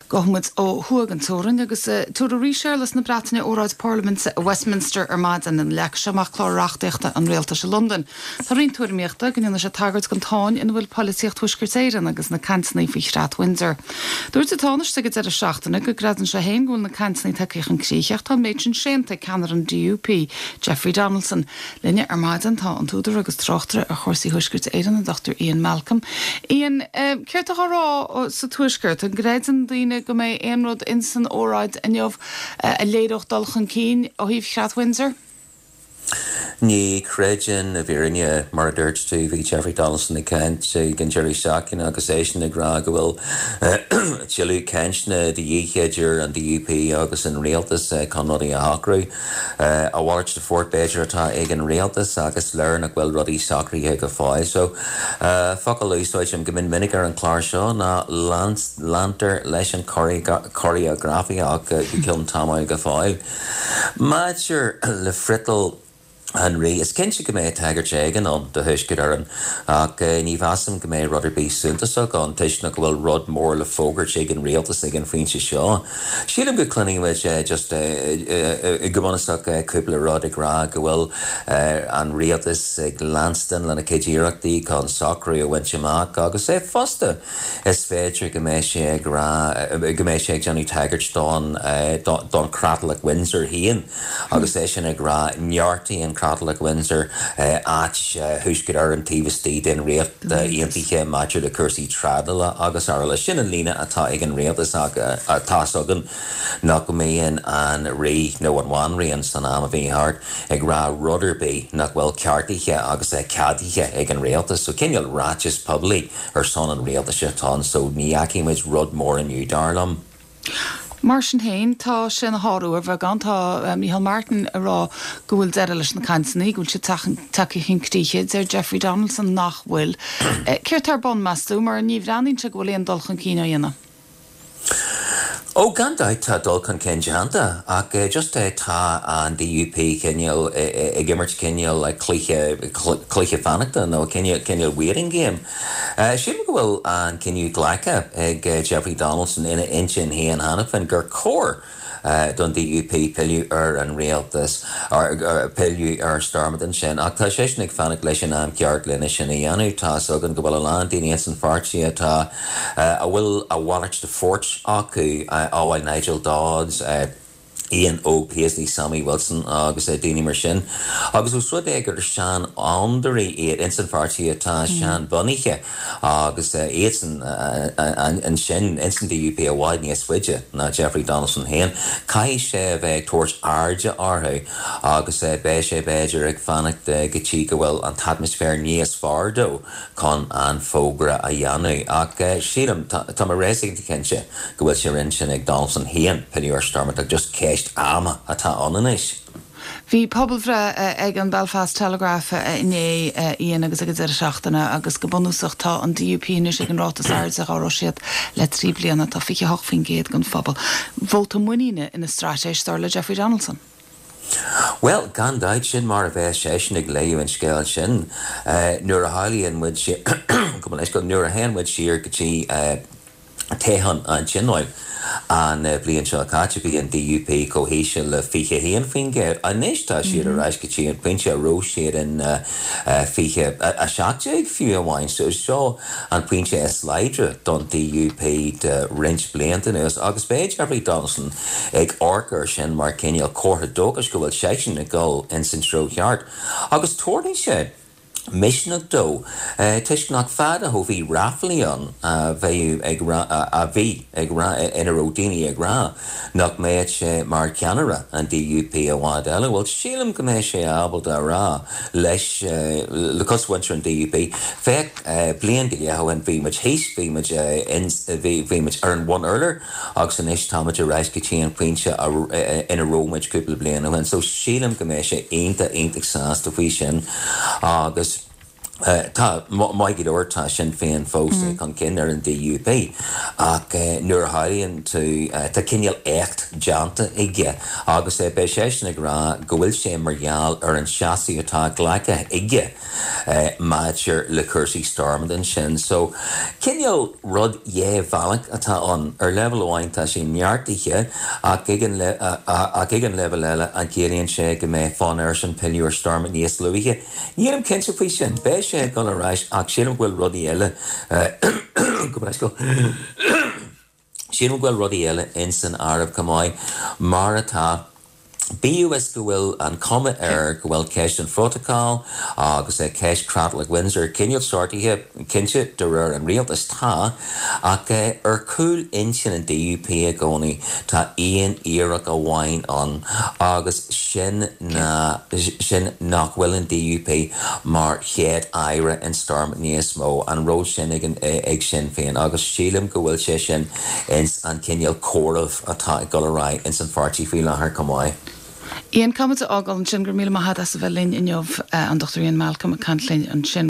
Gabhfaidh muid ó thuaidh den teorainn agus tabharfaidh Rí Séarlas na Breataine óráid parlaiminte i Westminster ar maidin ina leagfaidh sé amach clár reachtaíochta an rialtais i Londain. Tá roinnt tuairimíochta go ndéanfaidh sé tagairt don tsáinn ina bhfuil polaitíocht Thuaisceart Éireann agus na cainteanna faoi Chreat Windsor. Dúirt an Tánaiste ag an deireadh seachtaine go gcreideann sé féin go bhfuil na cainteanna tagtha chun críche ach tá an méid sin séanta ag ceannaire an DUP, Jeffrey Donaldson. Linne ar maidin tá an t-údar agus tráchtaire ar chúrsaí Thuaisceart Éireann, an Dr Ian Malcolm. Ian, céard tá á rá sa Tuaisceart? An gcreideann daoine go mbeidh aon rud ins an óráid inniu a léireodh dul chun cinn ó thaobh Chreat Windsor? Ní chreidim i bhfírinne. Mar a dúirt tú, bhí Jeffrey Donaldson ag caint ag an deireadh seachtaine agus eisean ag rá go bhfuil tuilleadh cainteanna de dhíth idir an DUP agus an rialtas chun rudaí a shocrú. A mhalairt de phort b'fhéidir atá ag an rialtas ach is léir nach bhfuil rudaí socraithe go fóill. So, focal a úsáidim go mion minic ar an chlár seo ná leantar leis an choreografaíocht go ceann tamaill go fóill. Maidir le friotal an Rí, is cinnte go mbeidh tagairt éigin ann do Thuaisceart Éireann, ach ní mheasaim go mbeidh rud ar bith suntasach ann toisc nach bhfuil rud mór le fógairt ag an rialtas ag an phointe seo. Sílim go gcluinfidh muid just go bunúsach cúpla rud ag rá go bhfuil an rialtas ag leanstan lena chuid iarrachtaí chun socrú a bhaint amach agus é fosta Is féidir go mbeidh sé ag rá go mbeidh sé ag déanamh tagairt don don Chreatlach Windsor féin agus é sin ag rá neartaíonn an Creatlach Windsor áit Thuaisceart Éireann taobh istigh den Ríocht Aontaithe maidir le cúrsaí trádála agus araile. Sin an líne atá ag an rialtas ach tá's againn nach mbíonn an Rí nó an Bhanríon san am a bhí thart ag rá rud ar bith nach bhfuil ceartaithe agus ceadaithe ag an rialtas. So cineál ráiteas poiblí ar son an rialtais atá ann so ní fheicfidh muid rud mór inniu, dar liom. Mar sin féin, tá sé ina shárú ar bheagán. Tá Micheál Martin ag rá go bhfuil deireadh leis na cainteanna, go bhfuil siad tagtha chun críche. Deir Jeffrey Donaldson nach bhfuil. Céard tá ar bun, meas tú, mar ní bhreathnaíonn sé go bhfuil aon dul chun cinn á dhéanamh? Ó, gan dabht tá dul chun cinn déanta, ach just tá an DUP cineál ag imirt cineál cluiche, cluiche fanachta nó cineál waiting game. Sílim go bhfuil an cinneadh glactha ag Jeffrey Donaldson ina intinn féin cheana féin gur chóir don DUP pilleadh ar an rialtas, pilleadh ar Stormont ansin, ach tá seisean ag fanacht leis an am ceart lena sin a dhéanamh. Tá's againn go bhfuil a lán daoine ins an pháirtí atá, a bhfuil a mhalairt de phort acu, amhail Nigel Dodds, Ian Óg Paisley, Sammy Wilson agus daoine mar sin. Agus ós rud é gur seanfhondúirí iad ins an pháirtí atá seanbhunaithe, Agus iadsan ansin ins an DUP i bhfad níos faide ná Jeffrey Donaldson féin, caithfidh sé a bheith ag tabhairt airde orthu agus beidh sé b'fhéidir ag fanacht go dtí go bhfuil an t-atmaisféar níos fearr dó chun an fógra a dhéanamh. Ach sílim, tá mé réasúnta cinnte go bhfuil sé ar intinn ag Donaldson féin pilleadh ar Stormont ach just ceist ama atá ann anois. Bhí pobalbhreith ag an Belfast Telegraph inné, Ian, agus ag an deireadh seachtaine agus go bunúsach tá an DUP anois ag an ráta is airde dhá raibh siad le 3 bliana, tá 28% den phobal. Vóta muiníne ina straitéis, dar le Jeffrey Donaldson. Bhuel, gan dabht, sin mar a bheas seisean ag léamh an scéil sin. Nuair a shamhlaíonn muid, gabh mo leithscéal, nuair a théann muid siar go dtí Toghchán an Tionóil an bhliain seo caite, bhí an DUP chomh híseal le 21%. Anois tá siad ar ais go dtí an pointe a raibh siad in 2017 fiú amháin. So seo an pointe is láidre don DUP de roinnt blianta anuas agus beidh Jeffrey Donaldson ag amharc air sin mar cineál comhartha dóchais go bhfuil seisean ag dul ins an treo cheart agus tabharfaidh sé misneach dó, toisc nach fada ó bhí ráflaí ann a bheadh ag rá, a bhí ag rá, ina raibh daoine ag rá nach mbeadh sé mar cheannaire an DUP i bhfad eile. Bhuel, sílim go mbeidh sé ábalta a rá leis, le cosmhuintir an DUP, féach, bliain go leith ó shin bhí muid thíos, bhí muid in, bhí muid ar an bhun-urlár, Agus anois táimid ar ais go dtí an pointe ina raibh muid cúpla bliain ó shin. So sílim go mbeidh sé iontach, iontach sásta faoi sin. Agus. Tá, maith go leor, tá Sinn Féin fós chun cinn ar an DUP ach nuair a shamhlaíonn tú, tá cineál éacht déanta aige agus beidh seisean ag rá go bhfuil sé mar gheall ar an seasamh atá glactha aige maidir le cúrsaí Stormont ansin. So, cineál rud dhá bhealach atá ann. Ar leibhéal amháin tá sé neartaithe ach ag an ach ag an leibhéal eile an gciallaíonn sé go mbeidh fonn airsean pilleadh ar Stormont níos luaithe? Nílim cinnte faoi sin. Beidh sé ag dul ar ais ach sílim go bhfuil rudaí eile, go bhfuil, sílim go bhfuil rudaí eile ins an áireamh chomh maith, mar atá, bíodh is go bhfuil an chuma air go bhfuil ceist an phrótacail agus ceist Chreatlach Windsor cineál sortaithe, cinnte, de réir an rialtais, tá, ach ar chúl intinn an DUP i gcónaí tá aon fhíric amháin ann agus sin ná sin nach bhfuil an DUP mar chéad aire in Stormont níos mó, an ról sin ag ag Sinn Féin agus sílim go bhfuil sé sin ins an cineál comhaireamh atá ag dul ar aghaidh ins an pháirtí faoi láthair chomh maith. Ian, caithfimid a fhágáil ansin, go raibh míle maith agat as a bheith linn inniu, an Dr Ian Malcolm ag caint linn ansin.